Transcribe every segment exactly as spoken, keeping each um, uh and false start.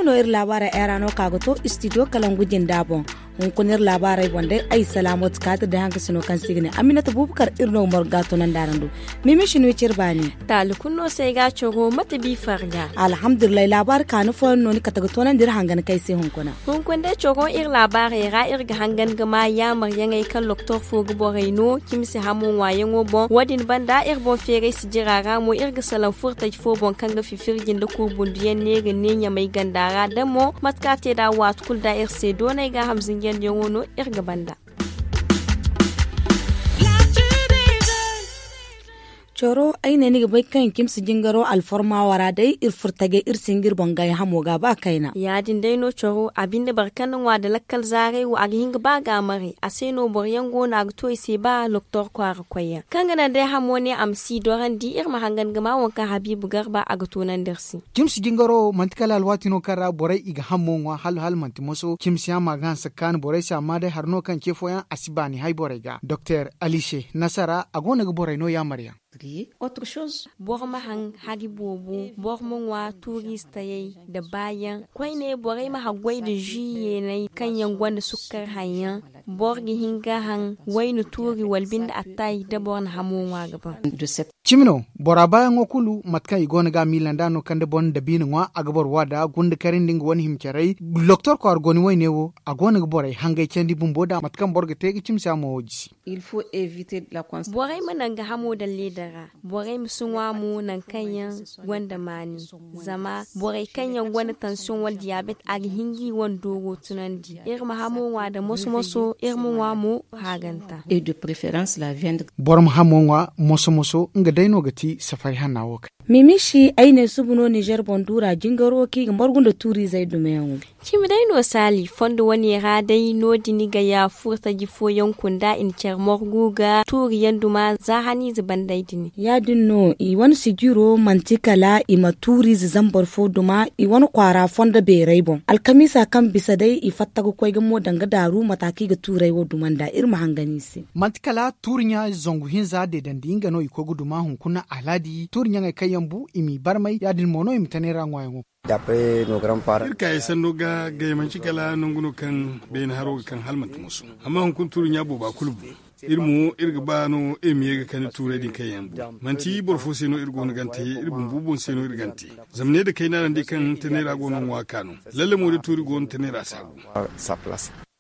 No iri laabaarey ay ra no ka ga to istidiyo kalangu jinda boŋ. Hunkuna iri laabaarey boŋ day ay salaamooti kaati day hankasino kaŋ se i ga ne aminata buubakar iri no ga margu ga a tunandi araŋ do. Mimi si no i cire baani. Taali kulu no se ay ga a coro mate bi farga. Alhamdulillahi laabaari kaani fooyaŋ no ni kate ga tunandi iri hangan kay se hunkuna. Hunkuna day coro iri laabaarey ra iri ga hangan ga ma yaamaryaŋey kaŋ doktor fo ga borey no cimi se hamo ŋwaayaŋo boŋ wo- din banda iri boŋ feeray sijira ra mo iri ga salaŋ furtaji fo boŋ kaŋ ga fifirji nda kurbunduyaŋ ne ga ne ɲamay ganda ra da mo mate kaŋ a te nd'a waati kulu nd'a iri se doonay gaaham zinjandiyaŋo no iri ga banda. Coro ay ne ni ga bay kaŋ cimsi jingaro alforma wo ra day iri furo tajay iri si hin ga iri boŋ gaay hamo ga ba kayna. Ya- din day no coro a binde boro kaŋ na ŋwa nda lakkal zaaray wo a ga hin ga ba ga a maray a se no boro yaŋ go no a ga to i se ba doktor kwaara koyyaŋ kaŋ ga naŋ day hamo ne a ma si i dorandi iri ma hangan ga ma waŋ kaŋ habiibu garba a ga toonandi iri se. Cimsi jingaro wo manti kala alwaati no kaŋ ra borey i ga hammo ŋwa hala hala manti moso cimsiyaŋ ma ga hanse ga kaanu borey se amma day hari no kaŋ ce fooyaŋ a si baani hay borey ga doktor alise nasara a go no ga borey no yaamaryaŋ. Boro ma haŋ hari boobo boro ma ŋwa tuuriize tayey nda baayaŋ koyne borey ma haggoy nda zui yeeney kaŋ yaŋ gonda sukkar haŋyaŋ. Boro ga hin ga haŋ wayna tuuri wala binde attaay da boro na hamo ŋwa ga ban. Cimi no bora baayaŋo kulu mate kaŋ i go no ga a miila nd'a no kaŋ da boro na dabiina ŋwa a ga boro wa nd'a gunda kare nda nga wane hima carey. Doktor kwaara goni wayne wo a go no ga borey hangay candi bumbo nd'a mate kaŋ boro ga te ga cimsi a mo wo jisi. Borey ma naŋ ga hamo daŋ leeda ra. Borey ma si ŋwa mo naŋ kaŋ yaŋ gonda maani. Zama borey kaŋ yaŋ gonda tansiyoŋ wala diyaabet a ga hin ga i wane dooro tunandi iri ma hamo ŋwa nda moso moso iri ma ŋwa mo haaganta. Boro ma hamo ŋwa moso moso nga day no ga ti safari hanna wo kay. Mimishi ay ne suba no nizer boŋ duura jingaro kaŋ i ga margu nda tuuriizey dumayaŋo. Cimi day no saali fondo wane ra day no- din i ga ya furtaji fooyaŋ kunda i na care margu ga tuuriyaŋ duma za haniize banday din. Ya- din no i wane sijiro manti kala i ma tuuriize zambar fo duma i wane kwaara fondo beeray boŋ alkamiisa kaŋ bisa day i fatta ga koy ga mo danga daaru mata kaŋ i ga tuuray wo duma nd'a iri ma hangan i se. Manti kala tuuri ɲa zangu hinza deedandi nga no i koy ga duma hunkuna alhaadi tuuri ɲaŋey kaŋ yaŋ bu i m'i barmay ya- din mo no i ma tanay ra ŋwaayaŋo. Iri kaayey sanno ga gay manci kala nangu no kaŋ beene haro ga kaŋ hala manti moso. Amma hunkuna tuuri ɲa booba kulu bu. Iri mo iri ga ba no iri ma ye ga kande tuurey din kaŋ yaŋ bu. Manti boro fo se no iri go no gante iri bumbo boŋ se no iri gante. Zama ne da kayna ra ndi kaŋ tanay ra go no ŋwa ka no. Lalle mo da tuuri go no tanay ra saabu.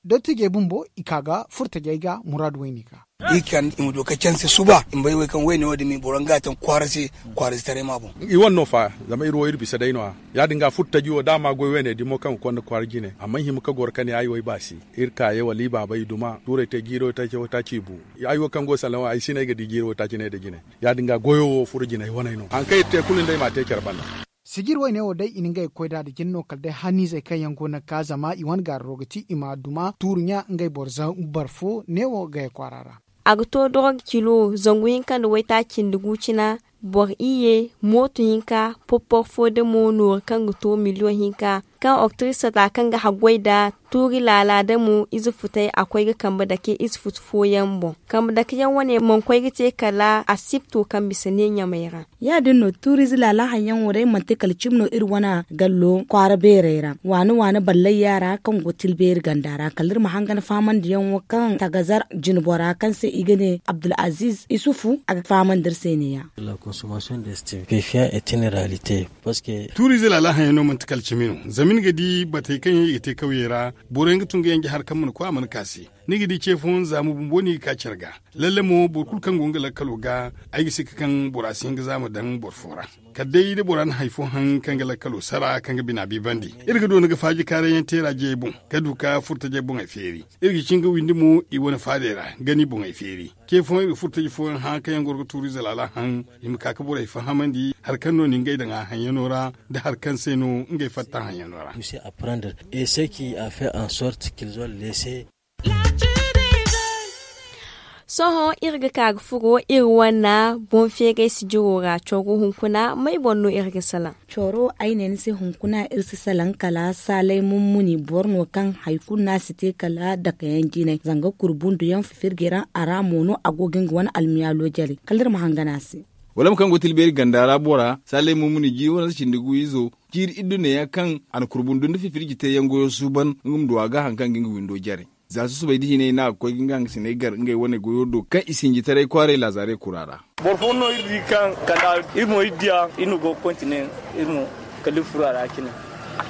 Dottijey bumbo i ka ga furtajey ga muraadu wayne ga. I kan i ma du ka canse suba i ma bay way kaŋ wayne wo din ma i boro nga taŋ kwaara se. Kwaara se taray ma boŋ. I wane no fa zama iri wo iri bisa day no- ya ya- din ga furtaji wo da a ma goy wayne dimo kaŋ ga konda kwaara jine a mana hima ka goro ka ne ay wo ay baasi. Iri kaayey wala i baabey i duma tuurey te jiiro taaci wo taaci i bu. Ay wo kaŋ go salaŋ wo ay si ne ay ga di jiiro taaci ne nda jine. Ya- din ga goyo wo furo jinay waney no hari kaŋ iri te kulu nda ay m'a te care banda. Sijir wayne wo day i na ngey ga koy nd'a nda jine no kala day haniizey kaŋ yaŋ go no ga ka zama i wane gaararo ga ti i ma duma tuuru ɲa ngey boro zambar fo neewo gaya kwaara ra. A ga to dorog kilo zangu hinka nda waytaaci nda gu cina. Boro iyye mooto hinka popporo fo da mo nooru kaŋ ga to miliyoŋ hinka kaŋ oktirisa ta kaŋ ga haggoy nda tuuri laala da mo ize futey a koy ga kambe dake ize futu fooyaŋ boŋ. Kambe dake yaŋ wane mana koy ga te kala asipto kaŋ bisa ne ɲamey ra. Ya- din no tuuriize laala haŋ yaŋ wo day manti kala cimi no iri wane gallo kwaara beerey ra waani waani ballayya ra kaŋ go tilbeeri ganda ra kala iri ma hangan faamandiyaŋo kaŋ tagazar jinbora kaŋ se i ga ne abdulaziiz isufu a ga faamandi iri se ne- ya. Tuuriize laala haŋ yaŋ no manti kala cimi no zama ni ga di batey kaŋ yaŋ i ga te kawyey ra. Boro yaŋ ga tun ga yanje hari kaŋ mana koy a mana ka se. Ni ga di ce fooyaŋ zaama bumbo no i ga ka care ga. Lalle mo boro kulu kaŋ go nga lakkalo ga ay ga sikka kaŋ bora si hin ga zaama daŋ boro fo ra. Kala day da bora na hari fo haŋ kaŋ ga lakkalo sara kaŋ ga bina biibandi iri ga doona ga faaji kaarayyaŋ teera jeyey boŋ ka du ka furtajey boŋey feeri. Iri ga cin ga windi mo i wane faadey ra ga ni boŋey feeri. Ce fooyaŋ iri ga furtaji fooyaŋ hã kaŋ yaŋ goro ga tuuriize laala haŋ i ma ka ga borey fahamandi hari kaŋ no ni ngey daŋ a haŋyaŋo ra nda hari kaŋ se no ngey fatta haŋyaŋo ra. Sohõ iri ga ka ga furo iri wane boŋ feeray sijiro ra coro hunkuna may boŋ no iri ga salaŋ? Coro ay ne ni se hunkuna iri si salaŋ kala saalay mummuni boro no kaŋ hari kulu no a si te kala dakayaŋ jinay zanga kuru bunduyaŋ fifirji ra a ra mo no a go ga nga wane almiyaalo jare kala iri ma hangan a se. Wala ma kaŋ go tilbeeri ganda ra bora saalay mumuni jiiri wane si cindi gu izo, jiiri iddu neeyaŋ kaŋ a na kurbundu nda fifirji te yaŋ goyo suuban nga ma du a ga hari kaŋ ga nga windo jare. Za susubay da hinay no a ga koy ga nga hangasiney gar ngey wane goyo do kaŋ i sinjitaray kwaaray laazaarey kura ra. Boro fooyaŋ no iri di kaŋ kala iri mo iri diya iri na go ga kontine iri mo kala iri furo a ra cine.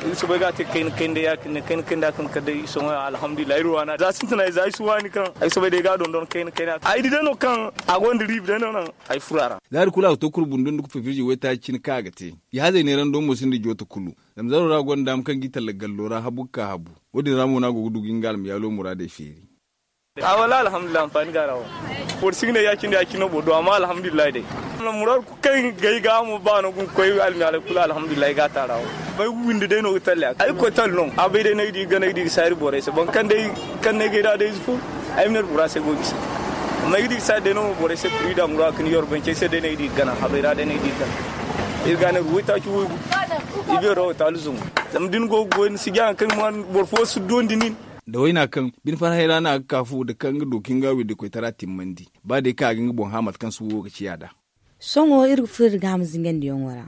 Iri soobay ga a te kayna kayna day ya- cine kayna kayna da kaŋ kala day sohõ alhamdulillahi iri waana za sintinay za ay si waani kaŋ ay soobay day ga a dondon kayna kayna ay di day no kaŋ a gonda riibi day no naŋ ay furo a ra. Za hari kulu a ga to kurbundu nda fifirji waytaaci cine kaŋ a ga te. Ihaazey neerando mo sinda joota kulu. Zama zaro ra gonda daama kaŋ ga i talla gallo ra habu ga ka habu. Wo- din ra mo no a go ga du ga nga almayaalo muraadey feeri. A wallaahi alhamdulillahi anfaani ga a ra wo. Boro si ga ne ya- cine ya- cine no boro du amma alhamdulillahi day. Muraadu kulu kaŋ ga ay ga a mo ba no ga nga koy almayaalo kulu alhamdulillahi ga a te a ra wo. Bay windi day no ga talle a ga ay ga koy talle no a bay day no ay di ga gana ay di ga saari borey se boro kaŋ day kaŋ no ay ga ay da day ize fo. Ay ma ne bora se go ga bisa. Amma ay ga di ga saari day no mo borey se kuri da muraadu kaŋ ni yorbancey se day no ay di ga gana habay ra day no ay di ga gana. Iri ga a ne ga waytaaci waygu. I beero wo taali zungu. Zama da ni go ga goy ni si jaŋa kaŋ ma boro fo si dondi nin. Da wayna kaŋ bine farhey ra no a ga ka fu da kaŋ nga du ka nga windi koytara timmandi. Ba day kaŋ a ga nga boŋ hã mate kaŋ suuwo ga ciya nd'a. Sohõ iri ga furo iri ga a ma zingandiyaŋo ra.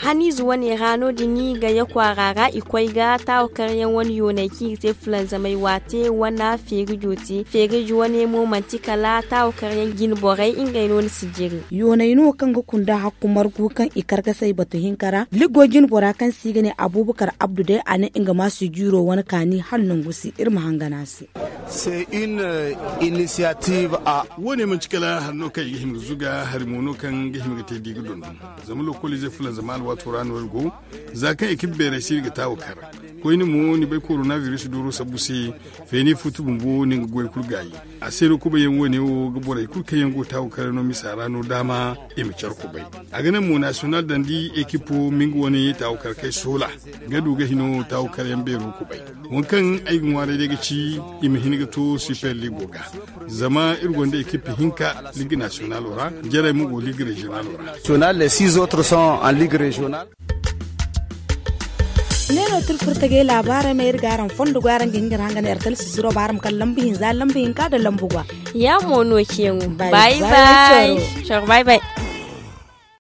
Haniize wane ra no- din i ga ye kwaara ra i koy ga taawakaryaŋ wane yooney kaŋ i ga te fulanzamay waate wane feerijo te feerijo wane mo manti kala taawakaryaŋ jine borey ngey no ni si jiri. Yooney no kaŋ ga kunda hakku margu kaŋ i kar ga say batu hinka ra liggo jine bora kaŋ se i ga ne abuubakar abdu day a ne nga ma si jiiro wane kaani hala nangu se iri ma hangan a se. Wo- ne manti kala hari no kaŋ i ga hima ga zuga hari mo no kaŋ ga hima ga te da i ga dondon. Zama lokoliize fulanzama alwaato ra no iri go. Za kaŋ i ga beerey se iri ga taawa kar koyne mo ni bay koronabiris dooro sabbu se. Feeni futu bumbo no nga goy kulu gaayi. A se no kubayyaŋ wo- ne wo ga borey kulu kaŋ yaŋ go taawa kar no misa ra no daama i ma care kubay. A ga naŋ mo nasiyonal dandi ekipo ma nga wane taawa kar kay soola ga du ga hino taawa kar yaŋ beero kubay. Waŋ kaŋ ay ga ŋwaaray day ga ci i ma hin ga to siper ligo ga. Zama iri gonda ekip hinka ligue nasiyonalo ra. Jarey mo go ligue reziyonalo ra. Ne no tirfurtagey laabaarey ma iri ga araŋ fondo go araŋ ga hin ga iri hangan ertel sisiro ba araŋ ma kala lambu hinza lambu hinka nda lambu gwa. Ya mo no ceeŋo. Bay bay. Coro bay bay.